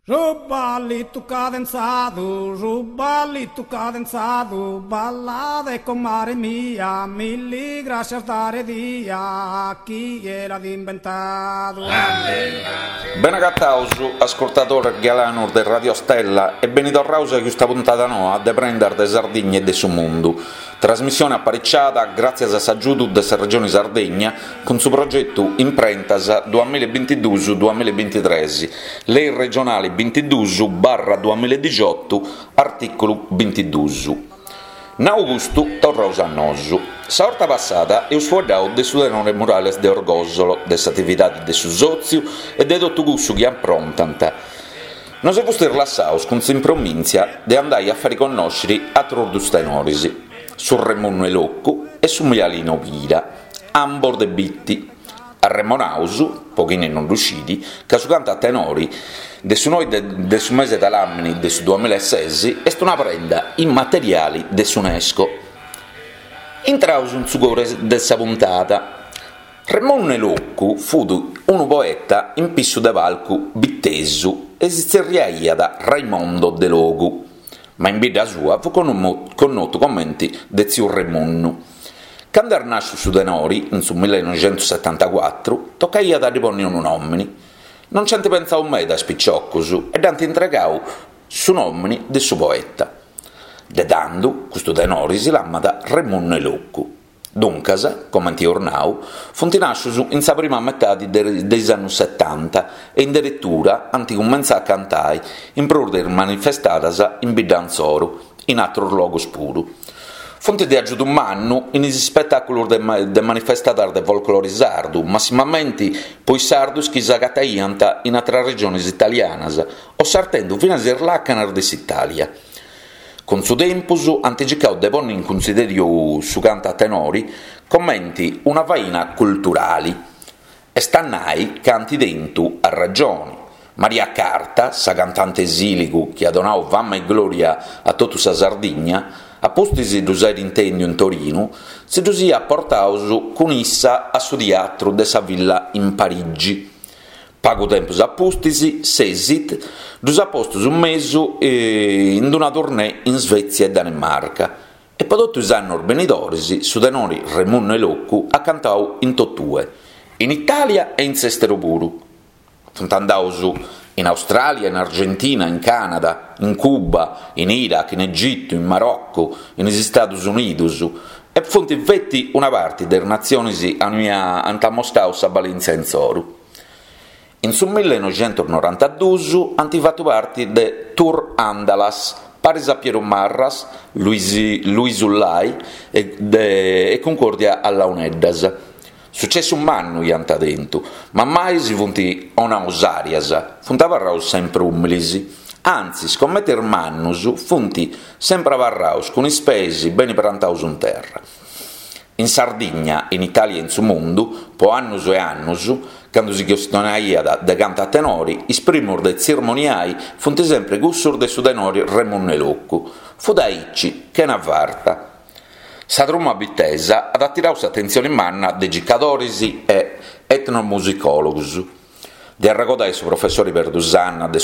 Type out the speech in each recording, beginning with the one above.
Su ballitu cadenzadu, su ballitu cadenzadu, ballade comare mia, milli grascias dare dia, chie l'at imbentadu. Bene agataus, ascurtadores galanos de Radio Stella e beni torraus a custa puntada noa de Prendas de Sardigna e de su Mundu, trasmissione apariciada gràtzias a s'agiudu de sa Regioni Sardegna cun su progetu Imprentas duamilla e bintiduus duamilla e bintitres, lei regionali bintiduus barra duamilla e dixiotu, artìculu bintiduus. Nau custu, torraus a nosu. Sa 'orta passada eus fueddau de su tenore Murales de Orgòsolo, de s'atividadi de su sòtziu e de totu cussu chi aprontant. Nos fustis lassaus cun s'impromìntzia de andai a fari connòsciri atrus dus tenoris, su Remunnu 'e Locu e su Mialino Pira. ambos de Bitti. Arremonaus, po chini non ddu scit, ca su cantu a tenori de su noi de su mese de ladàmini de su duamilla e ses est una prenda immateriali de s'Unesco. Intraus in su coru de sa puntada. Remunnu 'e Locu fut unu poeta in pissu de palcu bitesu e si tzerriaiat Raimondo Delogu, ma in bidda sua fut connotu comenti de tziu Remunnu. Candu est nàsciu su tenori, in su millenoixentussetantacuatru, tocaiat a ddi ponni unu nòmini. Non nci ant pentzau meda is piciocus e dd'ant intregau su nòmini de su poeta. De tandu, custu tenori si lamat Remunnu 'e Locu. Duncas, comenti eus nau, funt nàscius in sa prima metadi de is annus setanta e in deretura ant cumentzau a cantai, in prus de is manifestadas in bidda insoru, in atrus logus puru. Funt de agiudu mannu in is ispetàculus de manifestadas de folclori sardu, massimamenti po is sardus chi s'agataiant in atras regionis italianas o sartendu finas is làcanas de s'Itàlia. Cun su tempus ant circau de ponni in cunsidèriu su cantu a tenori comenti una faina culturali. Est a nai ca ant tentu arragioni. Maria Carta, sa cantante 'e Sìligu chi at donau fama e glòria a totu sa Sardigna, a pustis ddus airi intèndiu in Torinu, si ddus iat portaus cun issa a su tiatru de sa Villa in Parigi. Pagu tempus a pustis, s'Esit ddus at postus in mesu in una tournée in Svezia e Danimarca E po totu is annos benidoris su tenori Remunnu 'e Locu at cantau in totue, in Itàlia e in s'èsteru puru. Funt andaus in Austràlia, in Argentina, in Cànada, in Cuba, in Iraq, in Egitu, in Maroccu, in is Istadus Unidus e funt feti una parti de is natzionis aunia ant amostau sa balèntzia insoru. In su millenoixentusnorantaduus ant fatu parti de Tour Andalas paris a Pieru Marras, Luisu Lai e Cuncordia a Launeddas. Sucessu mannu iant tentu, ma mai si funt 'onaus àrias, funt abarraus sempri ùmilis. Antzis, comente is mannus, funt sempri abarraus cun is peis beni prantaus in terra. In Sardigna, in Itàlia e in su mundu, po annus e annus, candu si chistionaiat de cantu a tenori, is primus de tzirmoniai funt sempri cussus de su tenori Remunnu 'e Locu. Fut aici, chena farta. Sa truma bitesa at atirau s'atentzioni manna de circadoris e etnomusicòlogus. De arregodai su professori Perdu Sanna de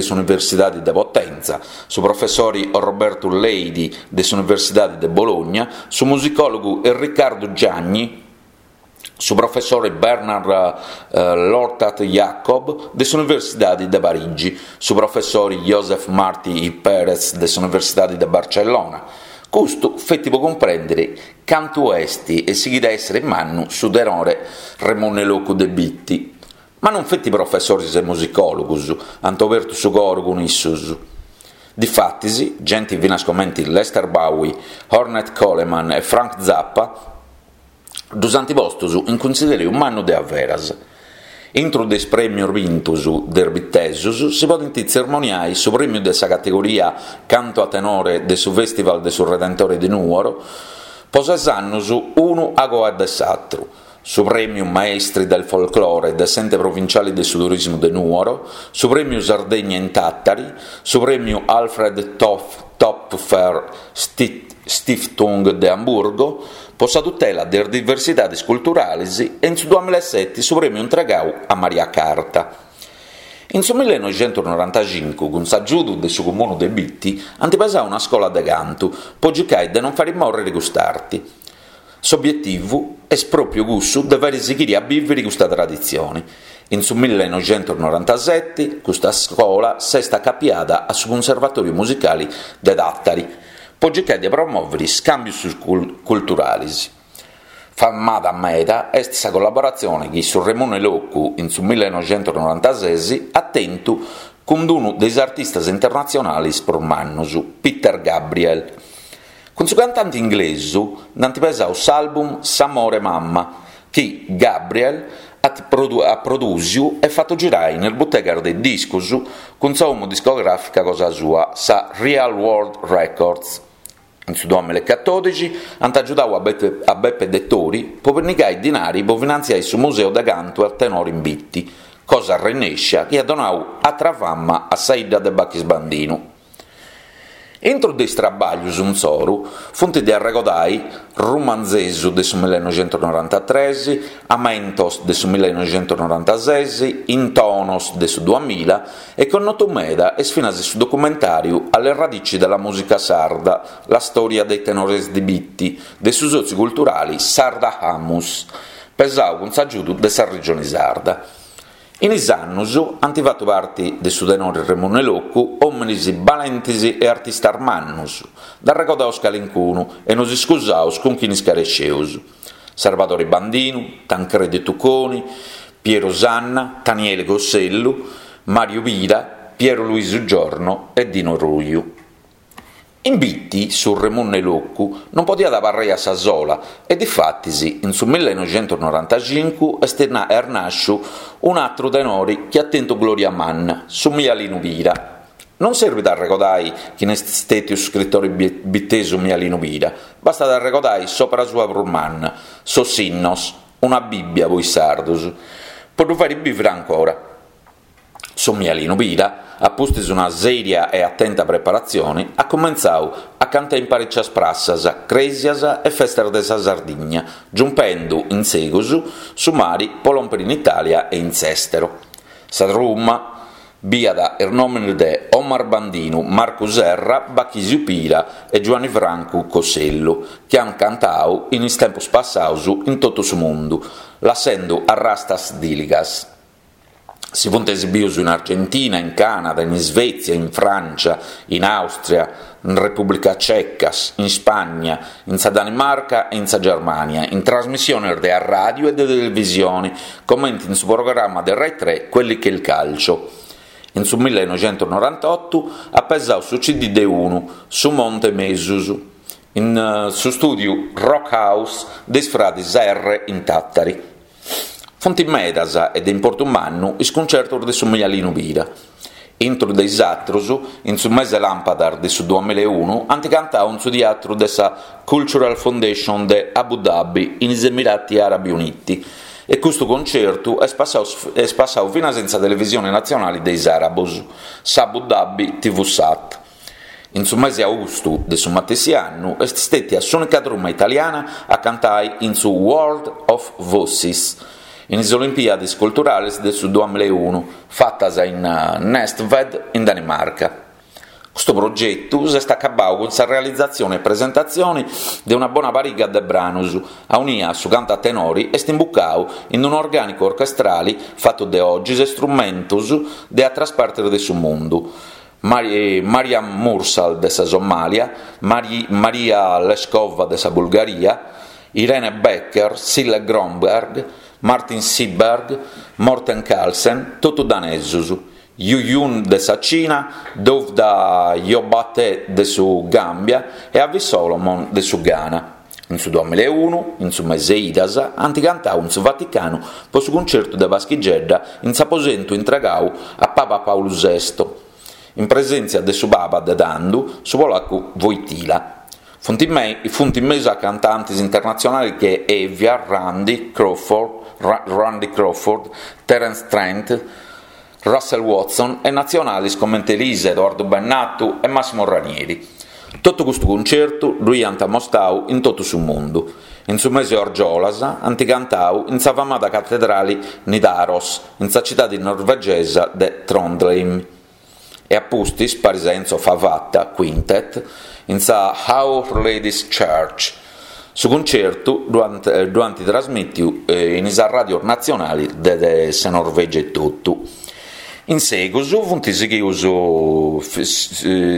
s'Universidadi de Potenza, su professori Orrobertu Leidi de s'Universidadi de Bologna, su musicòlogu Erricardu Giagni, su professori Bernard Lortat-Jacob de s'Universidadi de Parigi, su professori Josep Martí i Pérez de s'Universidadi de Barcellona. Custu feti po cumprèndiri Cantu est e sighit a èssere mannu su tenore Remunnu 'e Locu de Bitti. Ma non feti professores e musicòlogos ant obertu su coro cun issos. Difatis, gente finas comente Lester Bowie, Ornette Coleman e Frank Zappa ddos ant postos in cunsidèriu mannu de averas. Intru de is prèmios bintos de is bitesos si podent tzermoniai su prèmiu de sa categoria Canto a tenore de su Fèstival de su Redentore de Nùoro, po ses annos unu agoa de s'atru, su prèmiu Maestri del Folklore de s'Ente Provinciale de su Turismu de Nùoro, su prèmiu Sardegna in Tàtari, su prèmiu Alfred Toepfer Stiftung de Amburgo, Po sa tutela de is diversidades culturales e in su duamillaeseti su prèmiu intregau a Maria Carta. In su millenoixentusnorantaxincu, cun s'agiudu de su Comunu de Bitti, ant pesau una scola de cantu po circai de non fari mòrriri cust'arti. S'obietivu est pròpiu cussu de fari sighiri a bìviri custa traditzioni. In su millenoixentusnorantaseti custa scola s'est acapiada a su Cunservatòriu Musicali de Tàtari po circai de promòviri scàmbius culturalis. Famada meda est sa collaboratzione chi su Remunnu 'e Locu in su millenoixentusnorantases at tentu cun unu de is artistas internatzionalis prus mannus, Peter Gabriel. Cun su cantante inglesu nd'ant pesadu s'album S'amore mamma, chi Gabriel at at prodùsiu e fatu girai in is butegas de discus cun sa 'omu discogràfica cosa sua, sa Real World Records. In su duamilla e catòdixi ant agiudau a a Beppe Dettori po pinnigai dinari po finantziai su museu de cantu a tenore in Bitti, cosa arrennèscia chi at donau atra fama a sa 'idda de Bachis Bandinu. Intru de is trabàglius insoru funt de arregodai Rumanzesu de su millenoixentusnorantatres, Amentos de su millenoixentusnorantases, Intonos de su duamilla e connotu meda est finas su documentàriu Alle radici della musica sarda, la storia dei tenores di Bitti de su sòtziu culturali Sarda Amus, pesau cun s'agiudu de sa Regioni Sarda. In is annus ant fatu parti de su Tenore Remunnu 'e Locu òminis balentis e artistas mannus, nd'arregodaus calincunu e nos iscusaus cun chini scaresceus, Sarvadori Bandinu, Tancredi Tuconi, Piero Sanna, Taniele Cossellu, Mariu Pira, Piero Luisu Giorno e Dino Ruiu. In Bitti su Remunnu 'e Locu non podiat abarrai a sa sola e difatis in su millenoixentusnorantaxincu est est nàsciu un'atru tenori chi at tentu gloria manna, su Mialinu Pira. Non serbit a arregodai chini est stètiu su scritori bitesu Mialinu Pira, bastat a arregodai s'òpera sua prus manna, Sos Sinnos, una Bìbbia po is sardus, po ddu fàiri bìviri ancora. Su Mialinu Pira, a pustis una sèria e atenta preparatzione, at cumentzadu a cantai in parìcias prassas, crèsias e festas de sa Sardigna, giumpendu in segus su mari po lòmpere in Itàlia e in s'èstero. Sa truma biat is nòmenes de Omar Bandinu, Marcu Serra, Bachisiu Pira e Giuanni Francu Cossellu, chi ant cantadu in is tempos passados in totu su mundu, lassendu arrastas dìligas. Si funt esibius in Argentina, in Canada, in Isvètzia, in Frància, in Àustria, in Repùblica Ceca, in Spagna, in sa Danimarca e in sa Germània, in trasmissiones de arràdiu e de televisione, comente in su programma de Rai Tre Quelli che il calcio. In su millenoixentusnorantotu at pesau su CD de unu, Su Monte Mesus, in su stùdiu Rock House de is fradis Erre in Tàtari. Funt medas e de importu mannu is cuncertos de su Mialinu Pira. Intru de is atrus, in su mese làmpadas de su duamilaeunu ant cantau in su tiatru de sa Cultural Foundation de Abu Dhabi in is Emirati Arabi Uniti e custu concertu est passau est passau finas in sa televisioni natzionali de is arabus, s'Abu Dhabi TV Sat. In su mesi austu de su matessi annu est stètia s'ùnica truma italiana a cantai in su World of Voices, in is Olimpiadis Culturales de su duamilaeunu, fatas in Næstved in Danimarca. Custu progetu s'est acabau cun sa realizatzione e presentatzione de una bona pariga de branus, aunia su cantu a tenori est imbucau in un'orgànicu orchestrali fatu de 'ogis e strumentus de atras partis de su mundu, Mariam Mursal de sa Somàlia, Maria Leskova de sa Bulgaria, Irene Becker, Sille Grønbjerg, Martin Seeberg, Morten Carlsen, totu danesus, Yu Yun de sa Cina, Dawda Jobateh de su Gàmbia e Avi Solomon de su Ghana. In su duamilaeunu, in su mese Idas, ant cantau in su Vaticanu po su cuncertu de Paschigedda in s'aposentu intregau a Paba Pàulu Sesto, in presèntzia de su Paba de tandu, su polacu Wojtyla. Funt funt in mesu a cantantes internatzionales che Evia, Randy Crawford, Randy Crawford, Terence Trent, Russell Watson e natzionales comente Elisa, Edoardo Bennato e Massimo Ranieri. Totu custu cuncertu ddu iant amostau in totu su mundu. In su mesi 'e Orgiolas ant cantau in sa famada catedrali Nidaros, in sa citadi norvegesa de Trondheim. E a pustis, paris a Enzo Favata Quintet, in sa Our Lady's Church. Su cuncertu ddu ant ddu ant trasmìtiu in is arràdios natzionalis de sa Norvègia etotu. In segus funt sighius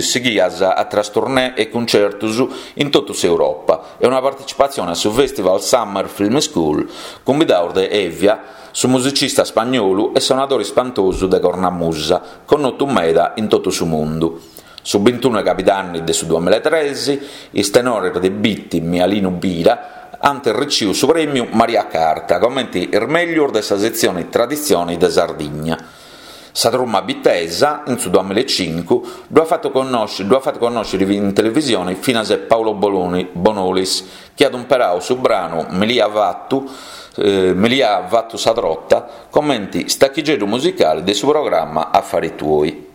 sighias atras tournée e cuncertus in totu s'Europa e una partecipatzione a su Festival Summer Film School cumbidaus de Hevia, su musicista spagnolu e sonadori spantosu de cornamusa, connotu meda in totu su mundu. Su bintunu 'e cabidanni de su duamillaetresi, is tenores de Bitti Mialinu Pira ant riciu su prèmiu Maria Carta comenti is mèglius de sa setzioni Traditzioni de Sardigna. Sa truma bitesa, in su duamillaecincu, ddu at fatu connosci ddu at fatu connòsciri in televisioni finas Paolo Boloni Bonolis chi at umperau su branu Milia Fatu Milia Fatu sa Trota comenti stachigeddu musicali de su programma Affari Tuoi.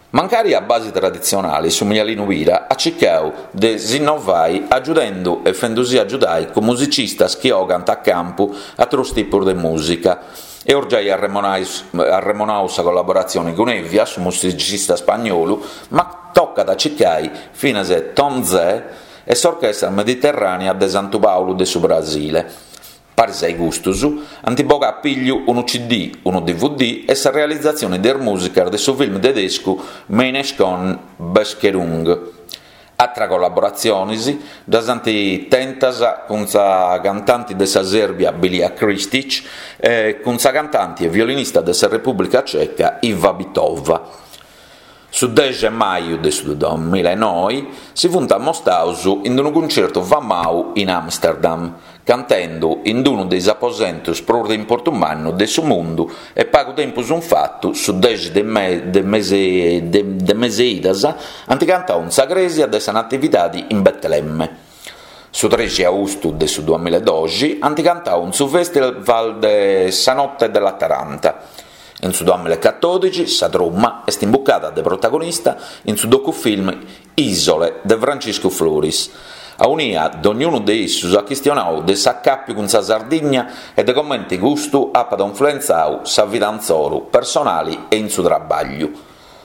Mancari a basi traditzionali, su Mialinu Pira at circau de s'innovai agiudendu e fendusì agiudai cun musicistas chi 'ogant a campu atrus tipus de mùsica. Eus giai arremonau sa collaboratzioni cun Hevia, su musicista spagnolu, ma tocat a circai finas Tom Zé e s'Orchestra Mediterrànea de Santu Pàulu de su Brasile. Paris a custus, ant bogau a pigliu unu CD, unu dvd e sa realizatzioni de is mùsicas de su film tedescu Meine schöne Bescherung. Atras collaboratzionis ddas ant tentas cun sa cantanti de sa Sèrbia Bilia Krstić e cun sa cantanti e violinista de sa Repùblica Ceca Iva Bittová. Su dexi 'e maju de su duamillaenoi si funt ammostaus in unu cuncertu famau in Amsterdam, cantendu in unu de is aposentus prus de importu mannu de su mundu e pagu tempus in fatu, su dexi de de mesi 'e idas, ant cantau in sa crèsia de sa Natividadi in Betlemme. Su trexi austu de su duamillaedoxi ant cantau in su festival de sa Notte della Taranta. In su duamillaecatòdixi sa truma est imbucada de protagonista in su docufilm Isole de Franciscu Floris, aunia dognunu de issus at chistionau de s'acàpiu cun sa Sardigna e de comente custu apat influentzau sa vida intzoru personali e in su trabagliu.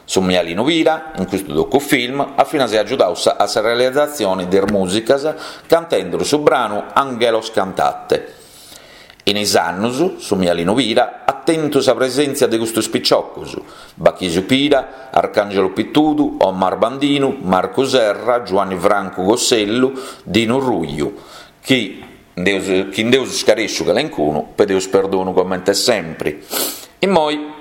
Su Mialinu Pira, in custu docufilm, at finas agiudau a sa realizatzioni de is mùsicas cantendu su branu Anghelos Cantate. In is annus, su Mialinu Pira at tentu sa presèntzia de custus piciocus, Bachisio Pira, Arcangelo Pittudu, Omar Bandinu, Marcu Serra, Giuanni Francu Cossellu, Dinu Ruiu, chi nd'eus scarèsciu calencunu, pedeus perdonu comente sempri. Immoi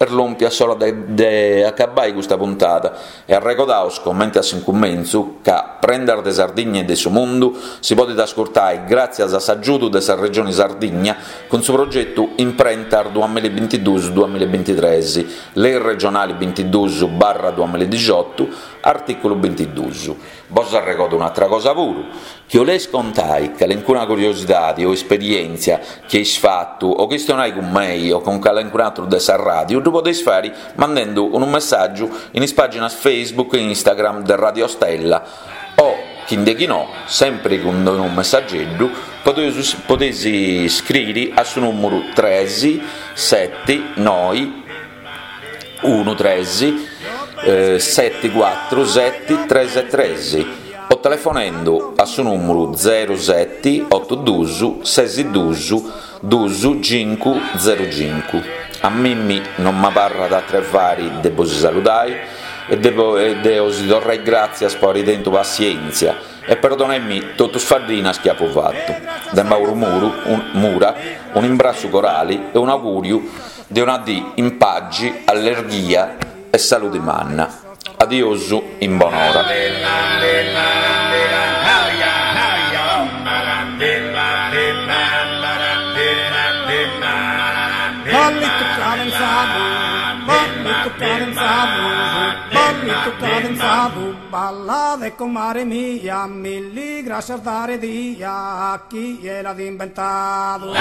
Est lòmpia s'ora de acabbai custa puntada e arregodaus, comente a s'incumentzu, ca Prendas de Sardigna e de su Mundu si podit ascurtai gràtzias a s'agiudu de sa Regioni Sardigna cun su progetu Imprentas duamillabintiduus duamillabintitres, Lei regionali bintiduus barra duamilladixotu, artìculu bintiduus. Bos arregodo un'atra cosa puru, chi 'oleis contai calencuna curiosidadi o esperièntzia chi eis fatu o chistionai cun mei o cun calencun'atru de sa ràdiu ddu podeis fari mandendu unu messàgiu in is pàginas Facebook e Instagram de Radio Stella o, chi nde chi no, sempri cun unu messageddu, podeus podeis scriri a su nùmuru tres seti noi unu tres seti cuatru seti tres tres o telefonendu a su nùmuru zeru seti otu dus ses dus dus cincu zeru cincu. A mimmi non m'abarrat atru 'e fari de bosi saludai e de osi torrai gràtzias po ari tentu passièntzia e perdonaimì totu is faddinas chi apu fatu. De Mauru Mura un'imbrassu corali e un'augùriu De una dì in pagi, allerghia e saludi manna. Adiosu in bonora. Ballade comare mia, milli grascias dare dia, a chie l'at imbentadu.